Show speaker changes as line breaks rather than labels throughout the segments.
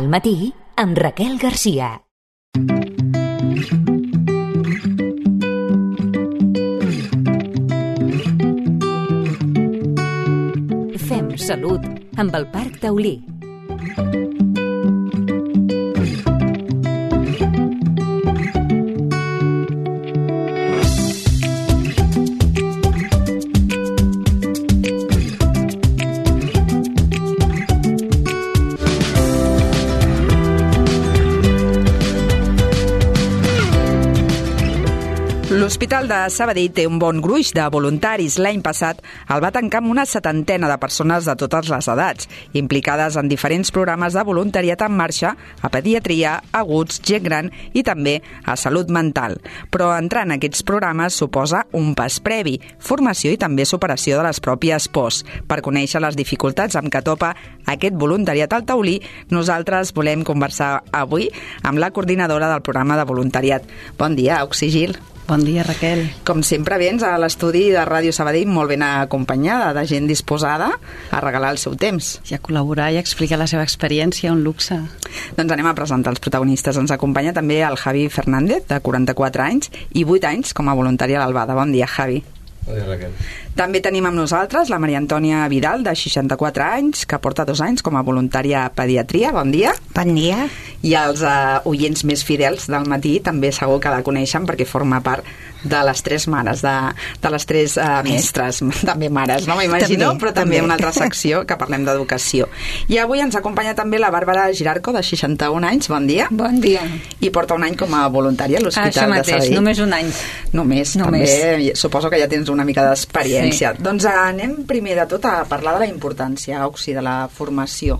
Al matí, amb Raquel Garcia. Fem salut amb el Parc Taulí.
L'Hospital de Sabadell té un bon gruix de voluntaris. L'any passat el va tancar amb una 70 de persones de totes les edats, implicades en diferents programes de voluntariat en marxa a pediatria, aguts, gent gran i també a salut mental. Però entrar en aquests programes suposa un pas previ, formació i també superació de les pròpies pors. Per conèixer les dificultats amb què topa aquest voluntariat al Taulí, nosaltres volem conversar avui amb la coordinadora del programa de voluntariat. Bon dia, Oxigil.
Bon dia, Raquel.
Com sempre vens a l'estudi de Ràdio Sabadell molt ben acompanyada de gent disposada a regalar el seu temps.
I a col·laborar i a explicar la seva experiència, un luxe.
Doncs anem a presentar els protagonistes. Ens acompanya també el Javi Fernández, de 44 anys, i 8 anys com a voluntari a l'Albada. Bon dia, Javi.
Bon dia, Raquel.
També tenim amb nosaltres la Maria Antònia Vidal, de 64 anys, que porta 2 anys com a voluntària a pediatria. Bon dia.
Bon dia.
I els oients més fidels del matí també segur que la coneixen perquè forma part de les 3 mares, de les 3 mestres, també mares, no m'imagino, però també una altra secció que parlem d'educació. I avui ens acompanya també la Bàrbara Girarco, de 61 anys. Bon dia.
Bon dia.
I porta 1 any com a voluntària a l'Hospital de Sabadell.
Només 1 any.
Només. També suposo que ja tens una mica d'experiència. Sí. Doncs anem primer de tot a parlar de la importància, Oxi, de la formació.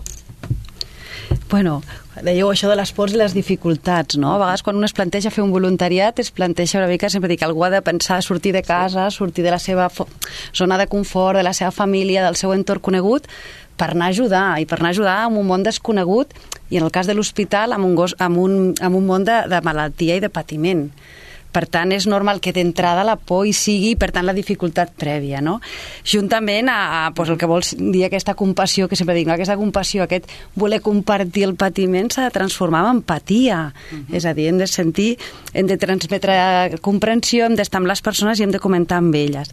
Bueno, dèieu això de les pors i les dificultats, no? A vegades quan un es planteja fer un voluntariat es planteja una mica, sempre dic, algú ha de pensar sortir de casa, sortir de la seva zona de confort, de la seva família, del seu entorn conegut, per anar a ajudar, i per anar a ajudar en un món desconegut, i en el cas de l'hospital, en un món de malaltia i de patiment. Per tant, és normal que d'entrada la por hi sigui, per tant, la dificultat prèvia, no? Juntament a el que vols dir, aquesta compassió, que sempre dic, no? Aquesta compassió, aquest voler compartir el patiment s'ha de transformar en empatia. És a dir, hem de sentir, hem de transmetre comprensió, hem d'estar amb les persones i hem de comentar amb elles.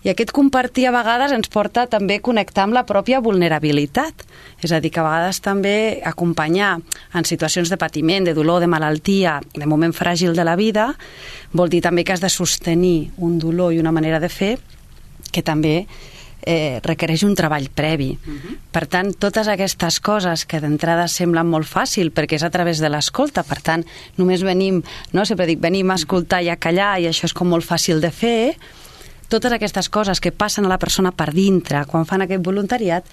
I aquest compartir a vegades ens porta també a connectar amb la pròpia vulnerabilitat. És a dir, que a vegades també acompanyar en situacions de patiment, de dolor, de malaltia, de moment fràgil de la vida, vol dir també que has de sostenir un dolor i una manera de fer que també requereix un treball previ. Per tant, totes aquestes coses que d'entrada semblen molt fàcil perquè és a través de l'escolta, per tant, només venim, no? Sempre dic, venim a escoltar i a callar i això és com molt fàcil de fer. Totes aquestes coses que passen a la persona per dintre quan fan aquest voluntariat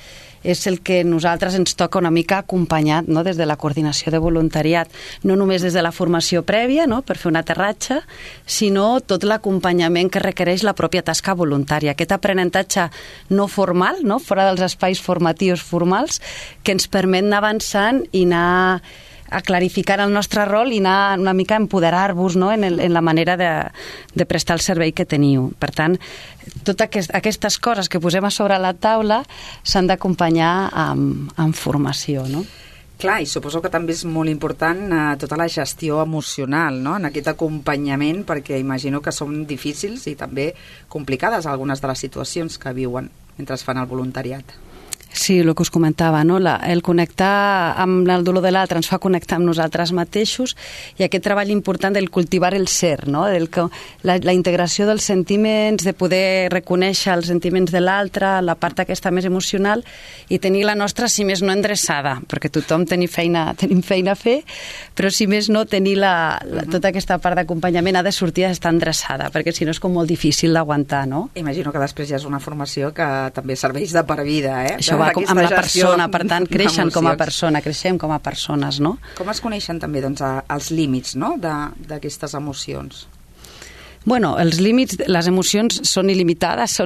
és el que nosaltres ens toca una mica acompanyat, no? Des de la coordinació de voluntariat, no només des de la formació prèvia, no? Per fer un aterratge, sinó tot l'acompanyament que requereix la pròpia tasca voluntària, aquest aprenentatge no formal, no? Fora dels espais formatius formals, que ens permet anar avançant i anar a clarificar el nostre rol i anar una mica a empoderar-vos, no? en la manera de prestar el servei que teniu. Per tant, totes aquestes coses que posem a sobre la taula s'han d'acompanyar amb formació, no?
Clar, i suposo que també és molt important tota la gestió emocional, no? En aquest acompanyament, perquè imagino que són difícils i també complicades algunes de les situacions que viuen mentre fan el voluntariat.
Sí, el que us comentava, no? El connectar amb el dolor de l'altre ens fa connectar amb nosaltres mateixos i aquest treball important del cultivar el ser, no? La integració dels sentiments, de poder reconèixer els sentiments de l'altre, la part aquesta més emocional i tenir la nostra, si més no, endreçada, perquè tothom tenim feina a fer, però si més no, tenir tota aquesta part d'acompanyament ha de sortir a estar endreçada, perquè si no és com molt difícil d'aguantar, no?
Imagino que després ja és una formació que també serveix de per vida, eh?
Això va amb la persona, per tant, creixem com a persones, no?
Com es coneixen també, doncs, els límits, no?, d'aquestes emocions?
Bueno, els límits, les emocions són il·limitades,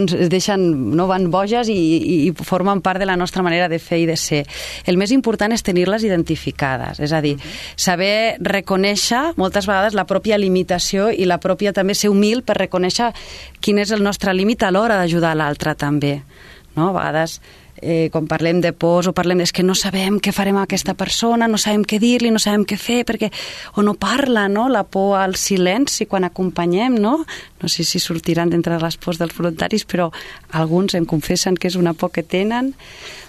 no van boges i formen part de la nostra manera de fer i de ser. El més important és tenir-les identificades, és a dir, saber reconèixer moltes vegades la pròpia limitació i la pròpia també ser humil per reconèixer quin és el nostre límit a l'hora d'ajudar l'altre també. No? A vegades quan parlem de pors o parlem és que no sabem què farem a aquesta persona, no sabem què dir-li, no sabem què fer, perquè o no parla, no? La por al silenci quan acompanyem, no? No sé si sortiran d'entre les pors dels voluntaris, però alguns em confessen que és una por que tenen.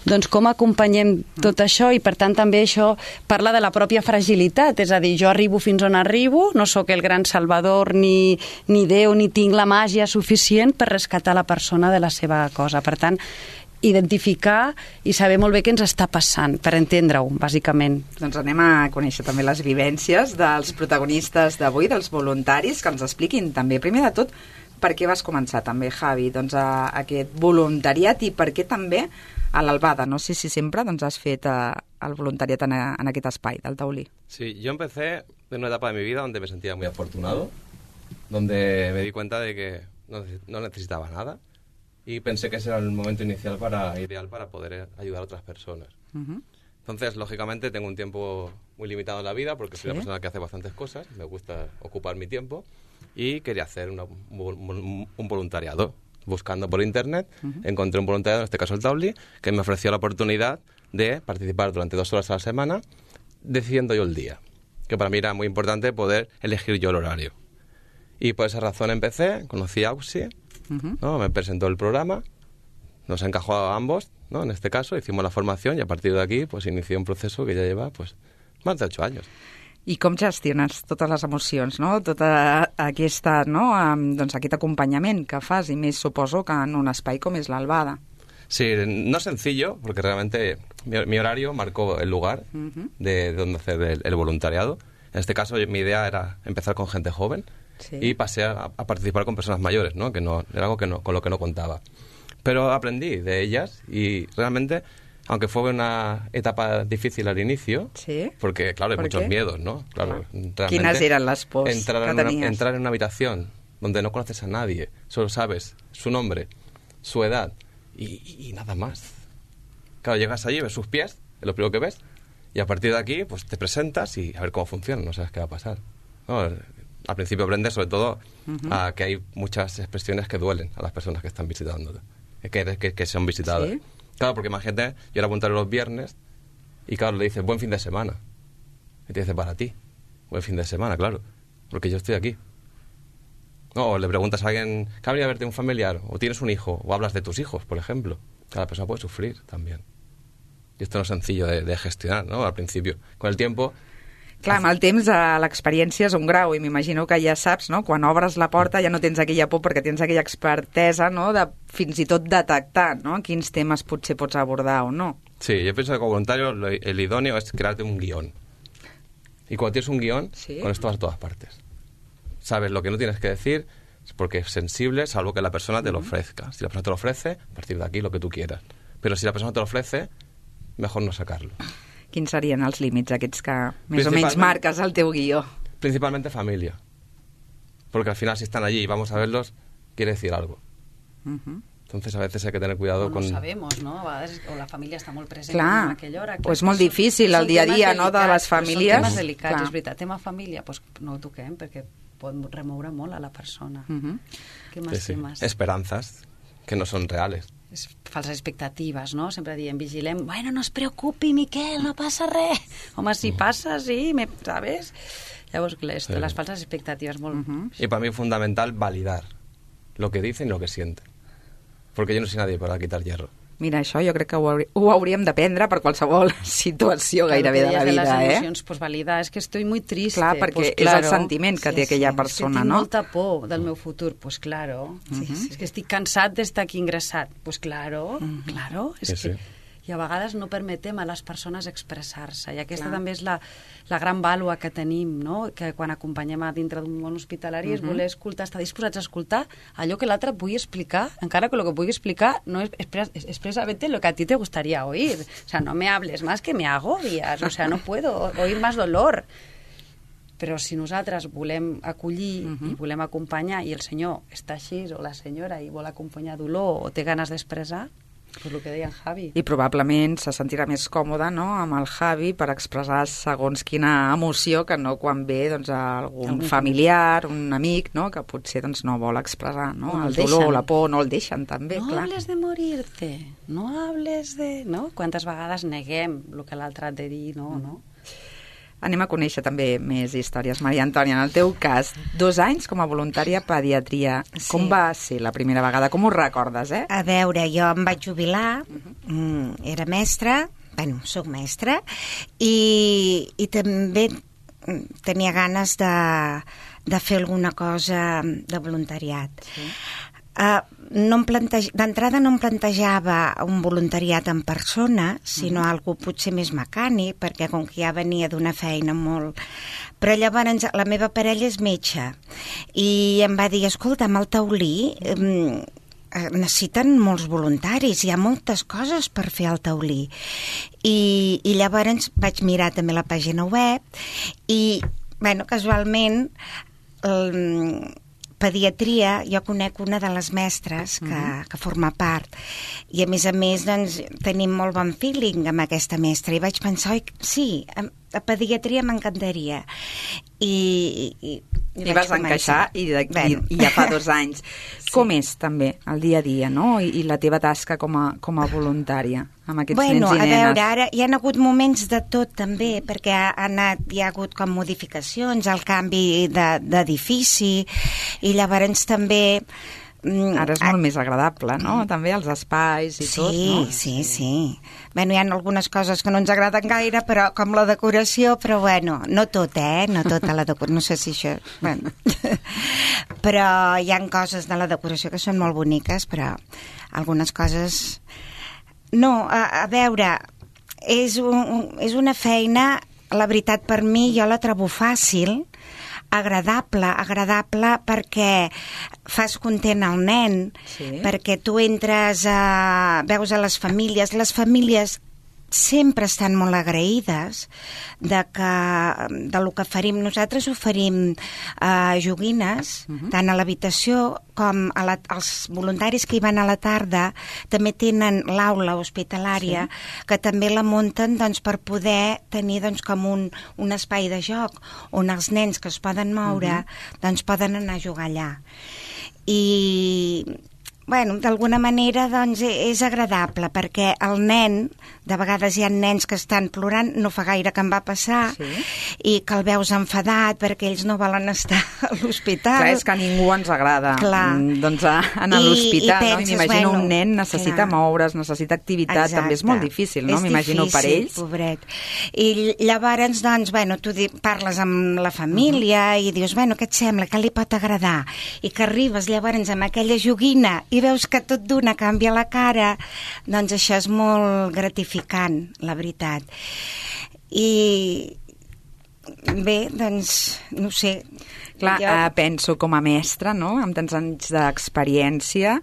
Doncs com acompanyem tot això, i per tant també això parla de la pròpia fragilitat, és a dir, jo arribo fins on arribo, no sóc el gran salvador ni Déu, ni tinc la màgia suficient per rescatar la persona de la seva cosa. Per tant, identificar i saber molt bé què ens està passant, per entendre-ho, bàsicament.
Doncs anem a conèixer també les vivències dels protagonistes d'avui, dels voluntaris, que ens expliquin també, primer de tot, per què vas començar també, Javi, doncs, aquest voluntariat i per què també a l'Albada. No sé si sempre doncs, has fet el voluntariat en aquest espai del taulí.
Sí, yo empecé en una etapa de mi vida donde me sentía muy afortunado, donde me di cuenta de que no necesitaba nada y pensé que ese era el momento inicial ideal para poder ayudar a otras personas.
Uh-huh.
Entonces, lógicamente, tengo un tiempo muy limitado en la vida porque soy una persona que hace bastantes cosas, me gusta ocupar mi tiempo y quería hacer un voluntariado. Buscando por internet, encontré un voluntariado, en este caso el Taulí, que me ofreció la oportunidad de participar durante 2 horas a la semana, decidiendo yo el día, que para mí era muy importante poder elegir yo el horario. Y por esa razón empecé, conocí a Auxi, ¿no? Me presentó el programa, nos encajó a ambos, ¿no? En este caso, hicimos la formación y a partir de aquí pues inicié un proceso que ya lleva pues más de 8 años.
I com gestiones totes les emocions, no? Tota aquesta, no? Doncs aquest acompanyament que fas, i més suposo que en un espai com és l'Albada.
Sí, no es sencillo, porque realmente mi horario marcó el lugar de donde hacer el voluntariado. En este caso, mi idea era empezar con gente joven y pasé a participar con personas mayores, ¿no? Que no era algo con lo que no contaba. Pero aprendí de ellas y realmente, aunque fue una etapa difícil al inicio, porque, claro, hay muchos miedos, ¿no? Claro,
¿Quiénes eran las pos
entrar en una habitación donde no conoces a nadie, solo sabes su nombre, su edad y nada más. Claro, llegas allí, ves sus pies, es lo primero que ves, y a partir de aquí pues te presentas y a ver cómo funciona, no sabes qué va a pasar. ¿No? Al principio aprendes sobre todo a que hay muchas expresiones que duelen a las personas que están visitando, que son visitadas. ¿Sí? Claro, porque imagínate, yo era voluntario los viernes y claro, le dices, buen fin de semana. Y te dice, para ti, buen fin de semana, claro, porque yo estoy aquí. No, o le preguntas a alguien, ¿que ha venido a verte un familiar? O tienes un hijo, o hablas de tus hijos, por ejemplo. Cada persona puede sufrir también. Y esto no es sencillo de gestionar, ¿no? Al principio. Con el tiempo...
Clar, amb el temps l'experiència és un grau i m'imagino que ja saps, no? Quan obres la porta ja no tens aquella por perquè tens aquella expertesa, no? De fins i tot detectar, no? Quins temes potser pots abordar o no.
Sí, yo pienso que como voluntario el idóneo es crearte un guión. Y cuando tienes un guión, con esto vas a todas partes. Sabes lo que no tienes que decir porque es sensible, salvo que la persona te lo ofrezca. Si la persona te lo ofrece, a partir de aquí lo que tú quieras. Pero si la persona te lo ofrece, mejor no sacarlo.
Quins serien els límits aquests que més o menys marques al teu guió?
Principalmente familia. Porque al final si están allí y vamos a verlos, quiere decir algo. Entonces a veces hay que tener cuidado con...
No sabemos, no? A vegades o la família està molt present
en
aquella hora.
O és molt difícil el dia a dia, no?, de les famílies.
Són temes delicats, és veritat. Tema família, doncs no ho toquem perquè pot remoure molt a la persona. Què més temes?
Esperanzas que no son reales.
Falses expectatives, no? Sempre diem, vigilem, bueno, no es preocupi, Miquel, no passa res. Home, si passa, sí, ¿sabes? Llavors, les falses expectatives molt...
Y para mí es fundamental validar lo que dicen y lo que sienten. Porque yo no soy nadie para quitar hierro.
Mira, això jo crec que ho hauríem d'aprendre per qualsevol situació gairebé de la vida,
les emocions, pues validar, és que estoy muy triste.
Clar, perquè
pues,
és el sentiment que té aquella persona,
no?
No?
Tinc molta por del meu futur, pues claro. És que estic cansat d'estar aquí ingressat, pues claro, claro. És que... I a vegades no permetem a les persones expressar-se, i aquesta també és la gran vàlua que tenim, no? Que quan acompanyem a dintre d'un món hospitalari és voler escoltar, estar disposats a escoltar allò que l'altre et pugui explicar, encara que el que pugui explicar no es expresamente lo que a ti te gustaría oír. O sea, no me hables más que me agobias, o sea, no puedo oír más dolor. Però si nosaltres volem acollir i volem acompanyar i el senyor està així o la senyora i vol acompanyar dolor o té ganes d'expressar, Per lo que deia en Javi.
I probablement se sentirà més còmode, no?, amb el Javi per expressar segons quina emoció que no quan ve doncs, algun familiar, un amic, no?, que potser doncs, no vol expressar, no?
No
el
el
dolor,
deixen.
la por, no el deixen també,
No
clar.
hables de morir-te, no hables de... No? Quantes vegades neguem el que l'altre ha de dir, no?
Anem a conèixer també més històries. Maria Antònia, en el teu cas, 2 anys com a voluntària a pediatria.
Sí.
Com va ser la primera vegada? Com ho recordes,
A veure, jo em vaig jubilar, era mestra, soc mestra, i també tenia ganes de fer alguna cosa de voluntariat. Sí. D'entrada no em plantejava un voluntariat en persona, sinó algo potser més mecànic, perquè com que ja venia d'una feina molt... Però llavors la meva parella és metge i em va dir, escolta, amb el taulí necessiten molts voluntaris, hi ha moltes coses per fer al taulí. I llavors vaig mirar també la pàgina web i, casualment, pediatria, jo conec una de les mestres que forma part i a més doncs, tenim molt bon feeling amb aquesta mestra i vaig pensar, oi, sí, a pediatria m'encantaria i
vas encaixar i ja fa 2 anys. Sí. Com és també el dia a dia, no?, i la teva tasca com a voluntària amb aquests nens i nenes?
A veure, ara hi ha hagut moments de tot també, perquè hi ha hagut com modificacions, el canvi d'edifici i llavors també...
Ara és molt més agradable, no?, també els espais i tot, no?
Sí. Hi ha algunes coses que no ens agraden gaire, però com la decoració, però no tot, no tota la decoració, no sé si això... Però hi ha coses de la decoració que són molt boniques, però algunes coses... No, a veure, és una feina, la veritat, per mi, jo la trobo fàcil, agradable perquè fas content al nen, sí. Perquè tu entres veus a les famílies sempre estan molt agraïdes de lo que oferim. Nosaltres oferim joguines, tant a l'habitació com als voluntaris que hi van a la tarda. També tenen l'aula hospitalària, sí. Que també la munten doncs, per poder tenir doncs, com un espai de joc on els nens que es poden moure doncs, poden anar a jugar allà. I... d'alguna manera doncs, és agradable perquè el nen, de vegades hi ha nens que estan plorant, no fa gaire que em va passar, sí. I que el veus enfadat perquè ells no volen estar a l'hospital.
Clar, és que a ningú ens agrada doncs, anar a l'hospital, no? I m'imagino un nen necessita moure's, necessita activitat. Exacte. També és molt difícil, no? M'imagino per ells.
Pobret. I llavors, doncs, tu parles amb la família i dius, què et sembla, què li pot agradar? I que arribes llavors amb aquella joguina i veus que tot d'una canvia la cara, doncs això és molt gratificant, la veritat. I bé, doncs, no sé.
Clar, penso com a mestra, no?, amb tants anys d'experiència,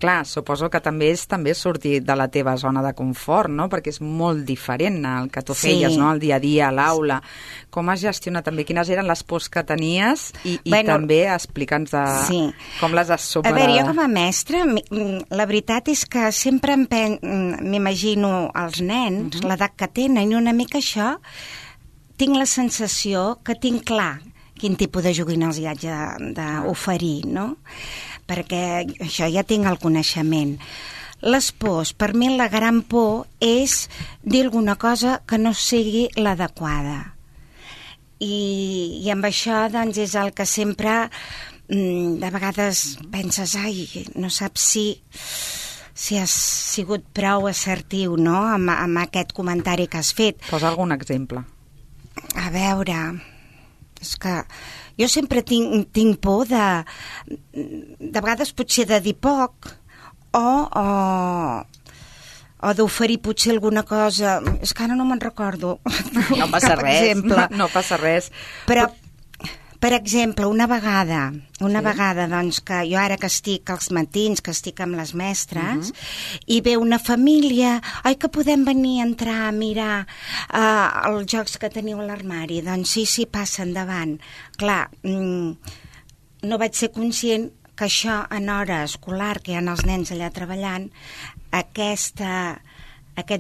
clar, suposo que també és sortir de la teva zona de confort, no?, perquè és molt diferent el que tu feies, no?, el dia a dia, a l'aula. Com has gestionat també? Quines eren les pors que tenies? I també explica'ns com les has superat.
A veure, jo com a mestra, la veritat és que sempre m'imagino els nens, l'edat que tenen, i una mica això, tinc la sensació que tinc clar quin tipus de joguina els hi haig d'oferir, no?, perquè això ja tinc el coneixement. Les pors, per mi la gran por és dir alguna cosa que no sigui l'adequada. I amb això doncs, és el que sempre de vegades penses, no saps si has sigut prou assertiu, no?, amb aquest comentari que has fet.
Posa algun exemple.
A veure, és que jo sempre tinc por de vegades potser de dir poc o d'oferir potser alguna cosa. És que ara no me'n recordo.
No passa res, no passa res.
Però, per exemple, una vegada, doncs, que jo ara que estic als matins, que estic amb les mestres, i ve una família, que podem venir a entrar a mirar els jocs que teniu a l'armari? Doncs sí, passa endavant. Clar, no vaig ser conscient que això en hora escolar, que hi ha els nens allà treballant, aquest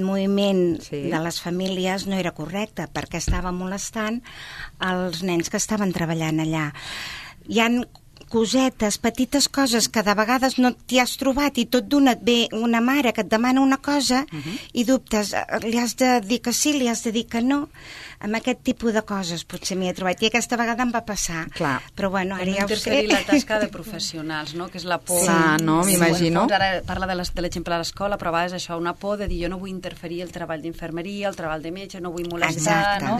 moviment de les famílies no era correcte, perquè estava molestant els nens que estaven treballant allà. Hi han cosetes, petites coses que de vegades no t'hi has trobat i tot d'una et ve una mare que et demana una cosa i dubtes, li has de dir que sí, li has de dir que no. Amb aquest tipus de coses potser m'hi he trobat i aquesta vegada em va passar.
Clar.
Però bueno, ara ja ho sé.
Interferir la tasca de professionals, no? Que és la por.
Clar, no? M'imagino.
Ara parla de l'exemple a l'escola, però a vegades això, una por de dir jo no vull interferir el treball d'infermeria, el treball de metge, no vull molestar, no?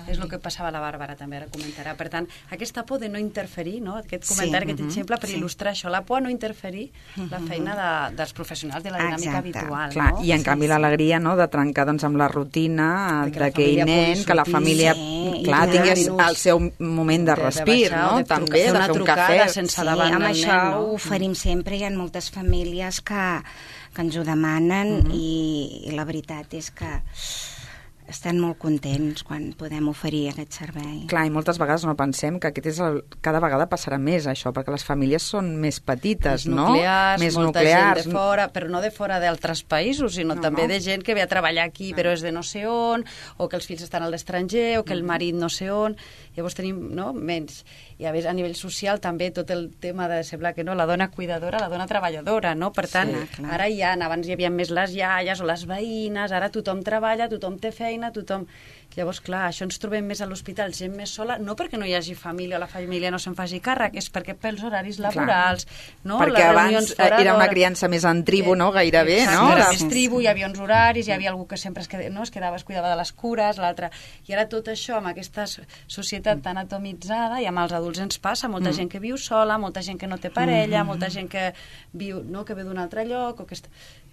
És el que passava a la Bàrbara, també ara comentarà. Per tant, aquesta por de no interferir, no? Aquest comentari, aquest exemple per il·lustrar això, la por a no interferir la feina dels professionals de la dinàmica habitual.
Clar,
no?
i en canvi l'alegria, no?, de trencar doncs, amb la rutina d'aquell nen, que la família tingui el seu moment de respir, no? També, de fer un cafè.
Amb això ho oferim sempre. Hi ha moltes famílies que ens ho demanen i la veritat és que estan molt contents quan podem oferir aquest servei.
Clar, i moltes vegades no pensem que aquest és cada vegada passarà més, això, perquè les famílies són més petites, no?
Més nuclears, gent de fora, però no de fora d'altres països, sinó també de gent que ve a treballar aquí, però és de no sé on, o que els fills estan a l'estranger, o que el marit no sé on. Llavors tenim menys. I a més, a nivell social també tot el tema de semblar que no, la dona cuidadora, la dona treballadora, no? Per tant, ara abans hi havia més les iaies o les veïnes, ara tothom treballa, tothom té feina, tothom... Llavors, clar, això ens trobem més a l'hospital, gent més sola, no perquè no hi hagi família o la família no se'n faci càrrec, és perquè pels horaris laborals, no?
Perquè abans era una criança més en tribu, no? Gairebé, no?
Era més tribu, hi havia uns horaris, hi havia algú que sempre es cuidava de les cures, l'altre... I ara tot això, amb aquesta societat tan atomitzada, i amb els adults ens passa, molta gent que viu sola, molta gent que no té parella, molta gent que viu, no?, que ve d'un altre lloc,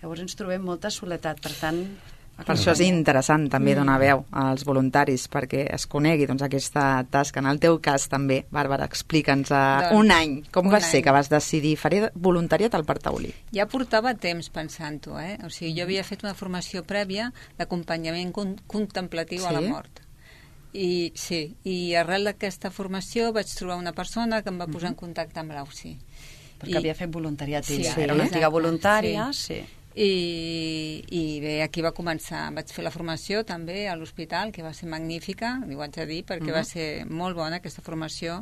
llavors ens trobem molta soledat, per tant...
Per això és interessant també donar veu als voluntaris perquè es conegui aquesta tasca. En el teu cas també, Bàrbara, explica'ns un any. Com va ser que vas decidir faré voluntariat al Parc Taulí?
Ja portava temps pensant-ho, O sigui, jo havia fet una formació prèvia d'acompanyament contemplatiu a la mort. I arrel d'aquesta formació vaig trobar una persona que em va posar en contacte amb l'AUSI.
Perquè havia fet voluntariat ella. Era una antiga voluntària,
I bé, aquí va començar, vaig fer la formació també a l'hospital, que va ser magnífica, li ho haig de dir, perquè va ser molt bona aquesta formació.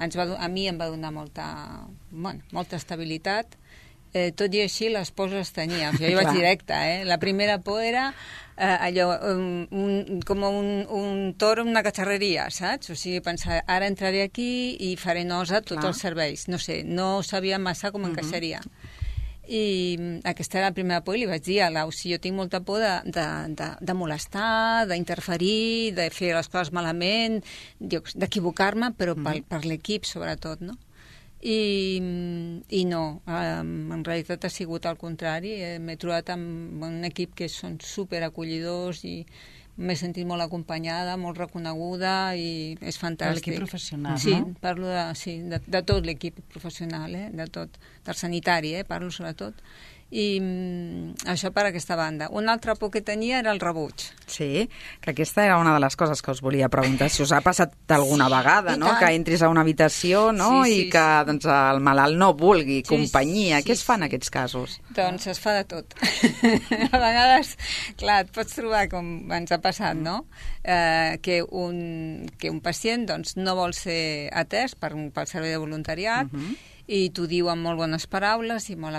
A mi em va donar molta estabilitat, tot i així les pors les tenia, jo hi vaig directe, La primera por era allò, com un toro en una cacharreria, saps? O sigui, pensar, ara entraré aquí i faré nosa tots els serveis, no sé, no sabia massa com encaixaria. I aquesta era la primera por i li vaig dir a l'Ausi, jo tinc molta por de molestar, d'interferir, de fer les coses malament, d'equivocar-me, però per l'equip sobretot, no? I no, en realitat ha sigut al contrari, m'he trobat amb un equip que són superacollidors i m'he sentit molt acompanyada, molt reconeguda i és fantàstic.
L'equip professional,
no? Sí,
parlo
de tot l'equip professional, de tot, del sanitari, parlo sobretot. I això per aquesta banda. Una altra por que tenia era el rebuig.
Sí, que aquesta era una de les coses que us volia preguntar, si us ha passat alguna vegada, no? Que entris a una habitació, no? I que doncs, el malalt no vulgui companyia. Què es fa en aquests casos?
Doncs es fa de tot. A vegades, clar, et pots trobar, com ens ha passat, no? Que un pacient doncs, no vol ser atès pel servei de voluntariat i t'ho diu amb molt bones paraules i molt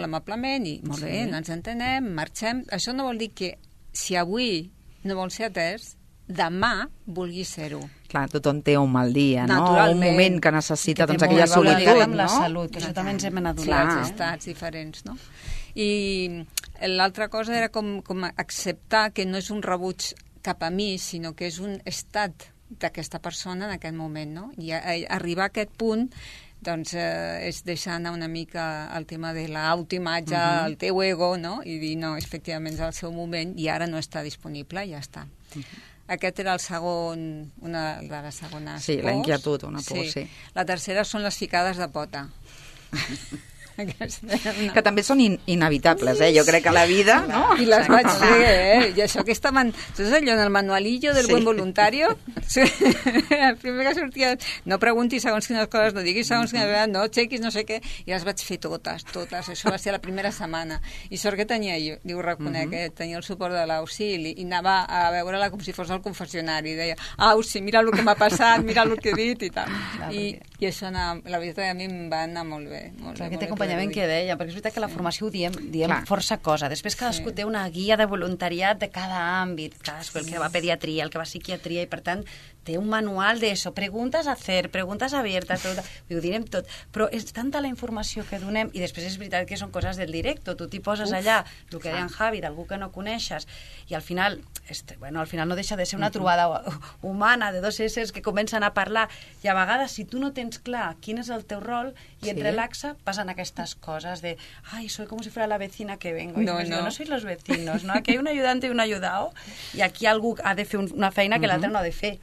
amablement i molt bé, no ens entenem, marxem. Això no vol dir que si avui no vol ser atès, demà vulgui ser-ho.
Clar, tothom té un mal dia, no? Un moment que necessita doncs, aquella solitud,
amb la salut, que això també ens hem adonat.
Els estats diferents, no? I l'altra cosa era com acceptar que no és un rebuig cap a mi, sinó que és un estat d'aquesta persona en aquest moment, no? I arribar a aquest punt doncs és deixar anar una mica el tema de l'autoimatge, el teu ego, no? I dir, no, efectivament és el seu moment i ara no està disponible, ja està. Aquest era una de les segones pors.
Sí, la inquietud, una por, sí.
La tercera són les ficades de pota.
Que també són inevitables, jo crec que la vida, no?
I les vaig fer, I això que estaven... Saps allò en el manualillo del buen voluntario? El primer que sortia... No preguntis segons quines coses, no diguis segons quines coses, no chequis, no sé què, i les vaig fer totes. Això va ser la primera setmana. I sort que tenia jo, ho reconec, tenia el suport de l'Auxili, i anava a veure-la com si fos al confessionari, i deia, Auxi, mira el que m'ha passat, mira el que he dit, i tal. I això, la veritat, a mi em va anar molt bé.
Aquest acompanyament que deia, perquè és veritat que la formació ho diem força cosa. Després cadascú té una guia de voluntariat de cada àmbit, cadascú el que va a pediatria, el que va a psiquiatria, i per tant té un manual d'això, preguntes a hacer, preguntes abiertas, ho direm tot, però és tanta la informació que donem, i després és veritat que són coses del directe, tu t'hi poses allà, el que deia en Javi, d'algú que no coneixes, i al final no deixa de ser una trobada humana de dos éssers que comencen a parlar, i a vegades si tu no tens clar quin és el teu rol i et relaxa, passen aquestes coses de, ai, soy como si fuera la vecina que vengo, i no sois los vecinos, no? Aquí hay un ayudante y un ayudado, i aquí algú ha de fer una feina que l'altre no ha de fer,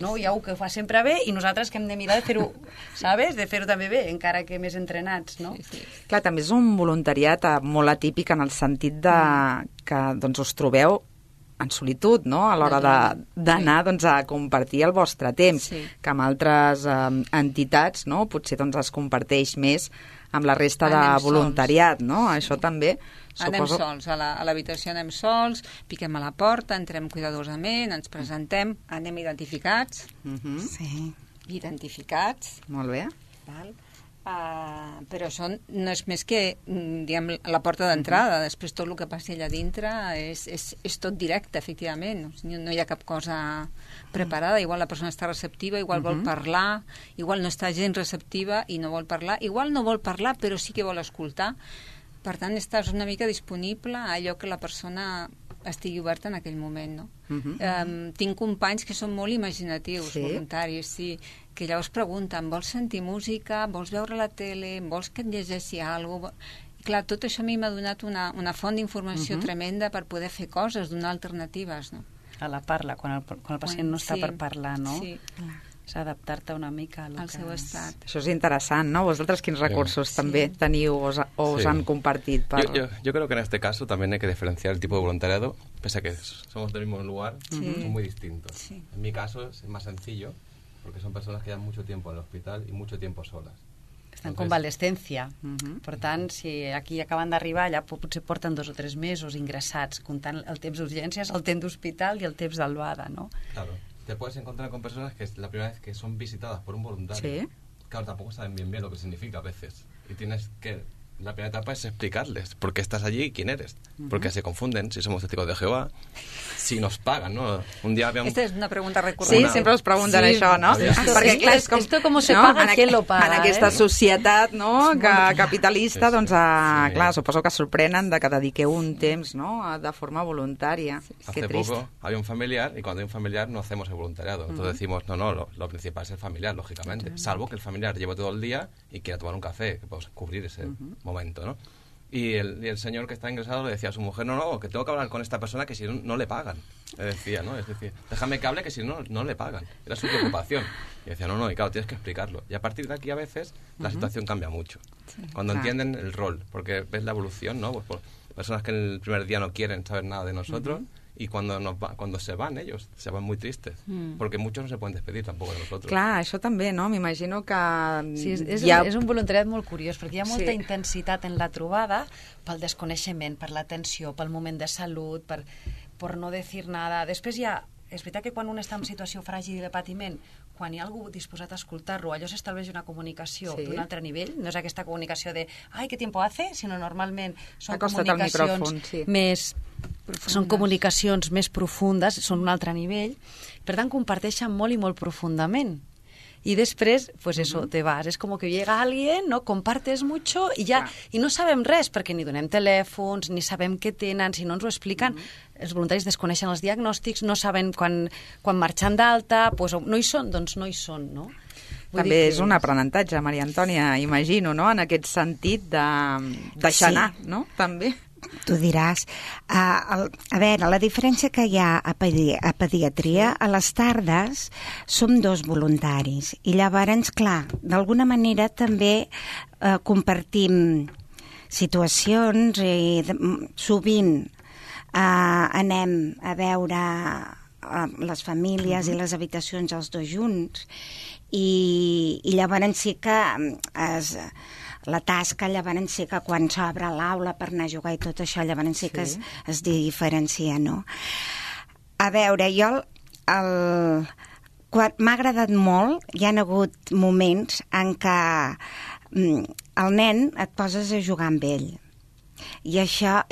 no? Hi ha algú que ho fa sempre bé i nosaltres que hem de mirar de fer-ho, sabes? De fer-ho també bé, encara que més entrenats, no?
Clar, també és un voluntariat molt atípic en el sentit de que doncs, us trobeu en solitud, no?, a l'hora d'anar a compartir el vostre temps, que amb altres entitats, no?, potser doncs, es comparteix més amb la resta de voluntariat, no? Això també...
Anem sols, a l'habitació anem sols, piquem a la porta, entrem cuidadosament, ens presentem, anem identificats. Identificats.
Molt bé.
Però això no és més que, diguem, la porta d'entrada. Després tot el que passi allà dintre és tot directe, efectivament. No hi ha cap cosa preparada. Igual la persona està receptiva, igual vol parlar, igual no està gens receptiva i no vol parlar, igual no vol parlar però sí que vol escoltar. Per tant, estàs una mica disponible a allò que la persona estigui oberta en aquell moment, no? Tinc companys que són molt imaginatius, voluntaris, sí, que llavors pregunten, vols sentir música, vols veure la tele, vols que et llegeixi alguna cosa? Clar, tot això a mi m'ha donat una font d'informació tremenda per poder fer coses, donar alternatives, no?
A la parla, quan el pacient no està per parlar, no?
Sí,
és adaptar-te una mica
al seu estat.
Això és interessant, ¿no? Vosaltres quins recursos también teniu o os han compartido?
Yo creo que en este caso también hay que diferenciar el tipo de voluntariado, pese a que somos del mismo lugar, son muy distintos. Sí. En mi caso es más sencillo, porque son personas que llevan mucho tiempo en el hospital y mucho tiempo solas.
Està en convalescència. Per tant, si aquí acaben d'arribar, allà potser porten 2 o 3 mesos ingressats, comptant el temps d'urgències, el temps d'hospital i el temps d'albada, no?
Claro. Te puedes encontrar con personas que es la primera vez que son visitadas por un voluntario.
Sí.
Claro, tampoco saben bien lo que significa a veces. Y tienes que... La primera etapa es explicarles por qué estás allí y quién eres. Porque se confunden si somos testigos de Jehová, si nos pagan, ¿no? Un día había
Esta és una pregunta recurrent.
Sí, sempre us pregunten això, no?
Perquè, clar, és com... Esto com se paga, qui lo paga,
en aquesta societat, no?, capitalista, doncs, clar, suposo que sorprenen de que dediqueu un temps, no?, de forma voluntària.
Hace poco había un familiar, y cuando hay un familiar no hacemos el voluntariado. Entonces decimos, no, lo principal es el familiar, lógicamente. Salvo que el familiar lleve todo el día y quiera tomar un café, que podemos cubrir ese momento, ¿no? Y el señor que está ingresado le decía a su mujer, no, que tengo que hablar con esta persona que si no le pagan. Le decía, ¿no? Es decir, déjame que hable que si no le pagan. Era su preocupación. Y decía, no, y claro, tienes que explicarlo. Y a partir de aquí a veces la situación cambia mucho. Cuando entienden el rol, porque ves la evolución, ¿no? Pues por personas que en el primer día no quieren saber nada de nosotros, y cuando se van ellos, se van muy tristes, porque muchos no se pueden despedir tampoco de nosotros.
Clar, això també, no? M'imagino que...
Sí, és un voluntariat molt curiós, perquè hi ha molta intensitat en la trobada pel desconeixement, per l'atenció, pel moment de salut, per no dir nada. Després és veritat que quan un està en situació fràgil i de patiment, quan hi ha algú disposat a escoltar-lo, allò s'estableix una comunicació d'un altre nivell, no és aquesta comunicació de «ai, què tiempo hace?», sinó normalment són comunicacions més... Són comunicacions més profundes, són un altre nivell, per tant comparteixen molt i molt profundament. Y després, pues eso, te vas. Es como que llega alguien, no, compartes mucho y ya, y no sabem res, perquè ni donem telèfons, ni sabem què tenen, si no ens ho expliquen. Els voluntaris desconeixen els diagnòstics, no saben quan marxen d'alta, pues no hi són, doncs no hi són, no?
També és un aprenentatge, Maria Antònia, imagino, no?, en aquest sentit de deixar anar, no?, també.
tu diràs. A veure, la diferència que hi ha a pediatria, a les tardes som 2 voluntaris i llavors, clar, d'alguna manera també compartim situacions i sovint anem a veure les famílies i les habitacions els 2 junts i llavors sí que la tasca llavors sí que quan s'obre l'aula per anar a jugar i tot això llavors sí que es diferencia, no? A veure, jo m'ha agradat molt, hi ha hagut moments en què el nen et poses a jugar amb ell. I això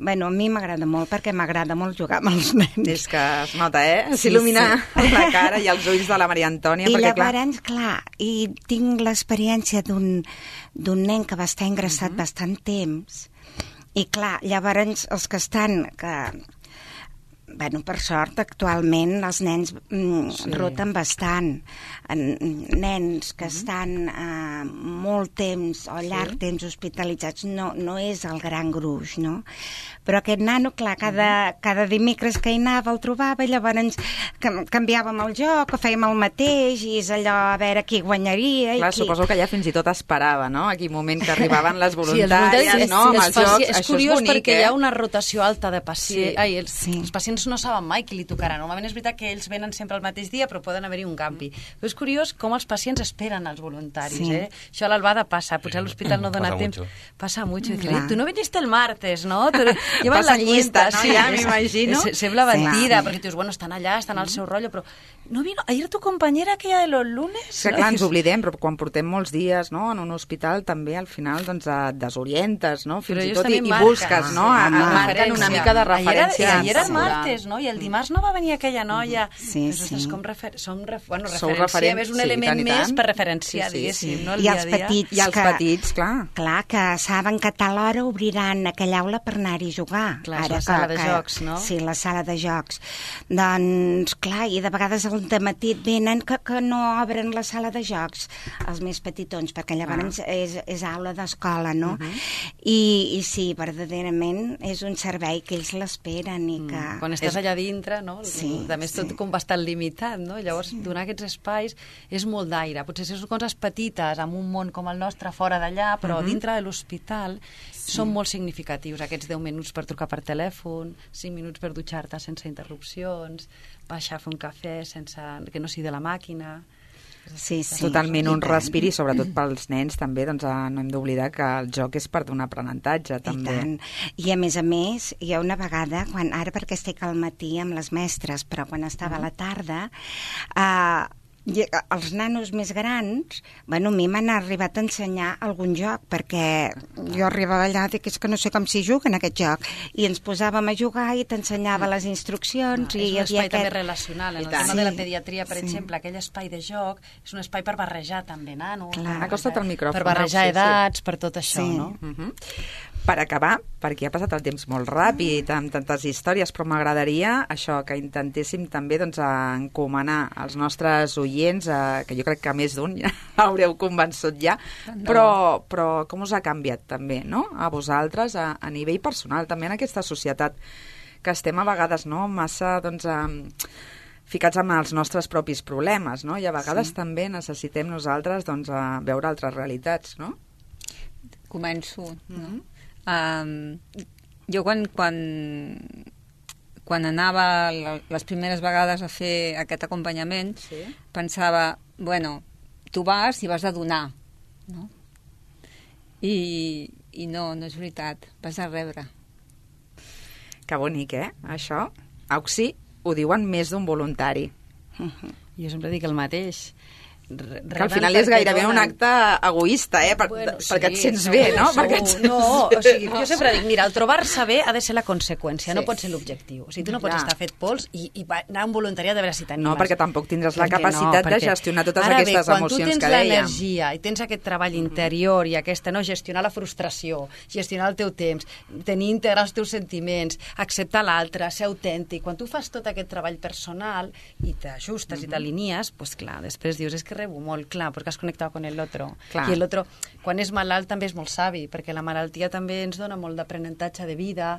bueno, a mi m'agrada molt perquè m'agrada molt jugar amb els nens.
És que es nota, s'il·lumina la cara i els ulls de la Maria Antònia.
I llavors, clar, i tinc l'experiència d'un nen que va estar ingressat bastant temps i clar, llavors els que estan... Bueno, per sort, actualment els nens roten bastant. Nens que estan molt temps o llarg temps hospitalitzats no és el gran gruix, no? Però aquest nano, clar, cada dimecres que hi anava el trobava i llavors canviàvem el joc o fèiem el mateix i és allò a veure qui guanyaria.
Clar, suposo que allà fins i tot esperava, no? Aquell moment que arribaven les voluntàries, no? Amb els jocs,
és curiós perquè hi ha una rotació alta de pacients. Els pacients no saben mai qui li tocarà. Normalment és veritat que ells venen sempre el mateix dia, però poden haver-hi un canvi. Però és curiós com els pacients esperen els voluntaris. Això a l'Albada passa. Potser a l'hospital no dona temps. Passa mucho. Tu no viniste el martes, no? Llevan la llista,
no? Ja m'imagino.
Sembla mentida, perquè tu dius, bueno, estan allà, estan al seu rotllo, però no vino ayer tu compañera aquella de los lunes?
Que clar, ens oblidem, però quan portem molts dies en un hospital també al final et desorientes, no? Fins i tot i busques, no? Marquen una mica de referència.
Ayer era el martes, no? I el dimarts no va venir aquella noia. Som referència, és un element més per referenciar, diguéssim, no?
I els petits.
I els petits, clar.
Clar, que saben que a tal hora obriran aquella aula per anar-hi a jugar.
Clar, és la sala de jocs, no?
Sí, la sala de jocs. Doncs, clar, i de vegades al dematí venen que no obren la sala de jocs, els més petitons, perquè llavors és aula d'escola, no? I sí, verdaderament és un servei que ells l'esperen i que...
Quan estàs allà dintre, no? A més, tot com bastant limitat, no? Llavors, donar aquests espais és molt d'aire. Potser són coses petites, amb un món com el nostre, fora d'allà, però dintre de l'hospital són molt significatius, aquests 10 minuts per trucar per telèfon, 5 minuts per dutxar-te sense interrupcions, baixar a fer un cafè sense que no sigui de la màquina...
Totalment un respir i sobretot pels nens també no hem d'oblidar que el joc és part d'un aprenentatge també.
I a més, hi ha una vegada, ara perquè estic al matí amb les mestres, però quan estava a la tarda, els nanos més grans, a mi m'han arribat a ensenyar algun joc, perquè jo arribava allà i dic, és que no sé com s'hi juga en aquest joc, i ens posàvem a jugar i t'ensenyava les instruccions.
És un espai també relacional, en el tema de la pediatria, per exemple, aquell espai de joc és un espai per barrejar també nanos,
acosta't al micròfon,
per barrejar edats, per tot això, no?
Per acabar, perquè ha passat el temps molt ràpid amb tantes històries, però m'agradaria això, que intentéssim també encomanar als nostres oients, que jo crec que més d'un ja haureu convençut ja, però com us ha canviat també, no? A vosaltres, a nivell personal, també en aquesta societat que estem a vegades massa ficats amb els nostres propis problemes, no? I a vegades també necessitem nosaltres veure altres realitats, no?
Començo, no? Jo quan anava les primeres vegades a fer aquest acompanyament pensava, bueno, tu vas i vas a donar, no? I no és veritat, vas a rebre.
Que bonic, això? Auxi, ho diuen més d'un voluntari.
Jo sempre dic el mateix.
Que al final és gairebé un acte egoista, perquè et sents bé, no?
Jo sempre dic, mira, el trobar-se bé ha de ser la conseqüència, no pot ser l'objectiu. O sigui, tu no pots estar fet pols i anar a un voluntariat de veure si t'animes.
No, perquè tampoc tindràs la capacitat de gestionar totes aquestes emocions que dèiem. Ara bé, quan tu tens
l'energia i tens aquest treball interior i gestionar la frustració, gestionar el teu temps, integrar els teus sentiments, acceptar l'altre, ser autèntic, quan tu fas tot aquest treball personal i t'ajustes i t'alinies, doncs clar, després dius, és que rebo molt, clar, perquè has connectat con el otro.
Clar.
I el otro, quan és malalt, també és molt savi, perquè la malaltia també ens dona molt d'aprenentatge de vida,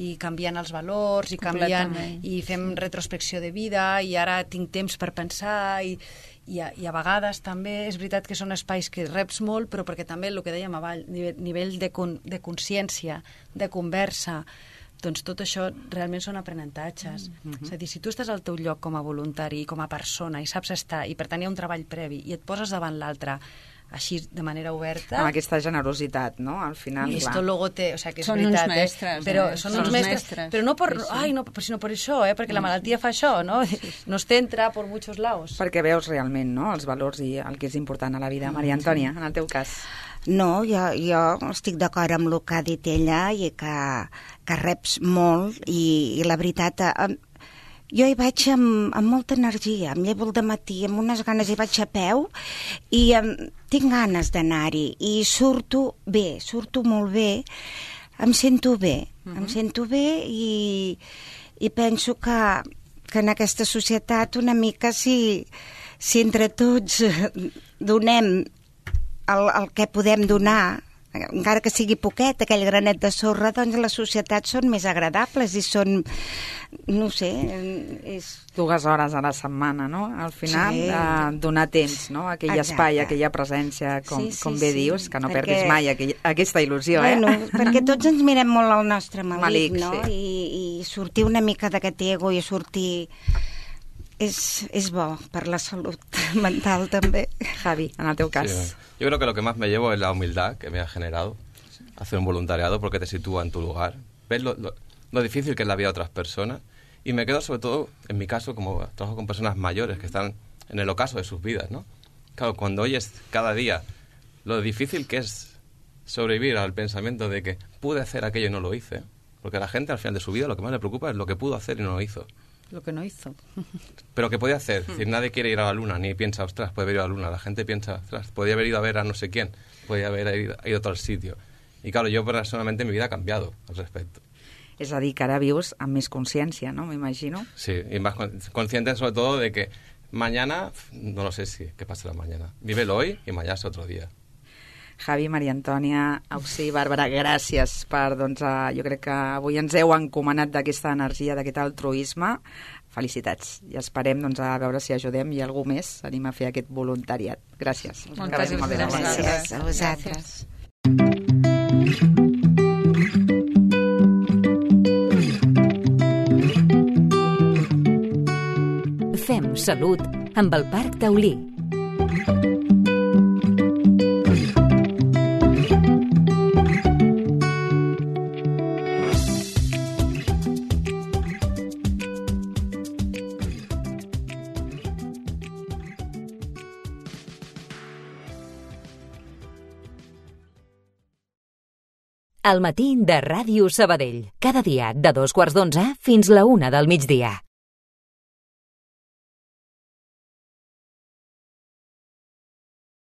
i canviant els valors, i canviant, i fem retrospecció de vida, i ara tinc temps per pensar, i a vegades també és veritat que són espais que reps molt, però perquè també el que dèiem abans, nivell de consciència, de conversa, doncs tot això realment són aprenentatges. És a dir, si tu estàs al teu lloc com a voluntari i com a persona i saps estar, i per tant hi ha un treball previ, i et poses davant l'altre així de manera oberta...
Amb aquesta generositat, no? Al final,
i esto luego o sea, que és
són
veritat,
uns mestres,
però són uns mestres, però no per, sinó per això, perquè la malaltia fa això, no? Nos centra por muchos lados.
Perquè veus realment, no?, els valors i el que és important a la vida. Maria Antònia, en el teu cas.
No, jo estic d'acord amb el que ha dit ella i que reps molt i la veritat... Jo hi vaig amb molta energia, em llevo al dematí amb unes ganes, hi vaig a peu i tinc ganes d'anar-hi i surto molt bé, em sento bé, i penso que en aquesta societat una mica si entre tots donem el que podem donar, encara que sigui poquet, aquell granet de sorra, doncs les societats són més agradables i són, no sé, és...
2 hores a la setmana, no? Al final, donar temps, no? Aquell espai, aquella presència, com bé dius, que no perdis mai aquesta il·lusió,
bueno, perquè tots ens mirem molt al nostre malic, no?
Sí.
I sortir una mica d'aquest ego i sortir... És bo per la salut mental també.
Javi, en el teu cas.
Sí, yo creo que lo que más me llevo es la humildad que me ha generado hacer un voluntariado, porque te sitúa en tu lugar. Ves lo difícil que es la vida de otras personas, y me quedo sobre todo, en mi caso, como trabajo con personas mayores que están en el ocaso de sus vidas, ¿no? Claro, cuando oyes cada día lo difícil que es sobrevivir al pensamiento de que pude hacer aquello y no lo hice, porque a la gente al final de su vida lo que más le preocupa es lo que pudo hacer y no lo hizo.
Lo que no hizo.
Pero que podía hacer. Es decir, nadie quiere ir a la luna, ni piensa, ostras, puede haber ido a la luna. La gente piensa, ostras, podría haber ido a ver a no sé quién, podría haber ido a tal sitio. Y claro, yo personalmente mi vida ha cambiado al respecto.
És a dir, que ara vius amb més consciència, no? M'imagino.
Sí, y más consciente sobre todo de que mañana, no lo sé si qué pasará mañana. Vívelo hoy y mañana es otro día.
Javi, Maria Antònia, Auxi, Bàrbara, gràcies per, jo crec que avui ens heu encomanat d'aquesta energia, d'aquest altruisme. Felicitats. I esperem, a veure si ajudem i algú més anem a fer aquest voluntariat. Gràcies.
Moltes gràcies
a vosaltres.
Fem salut amb el Parc Taulí. Al matí de Ràdio Sabadell. Cada dia de 2:15 fins la 1 del migdia.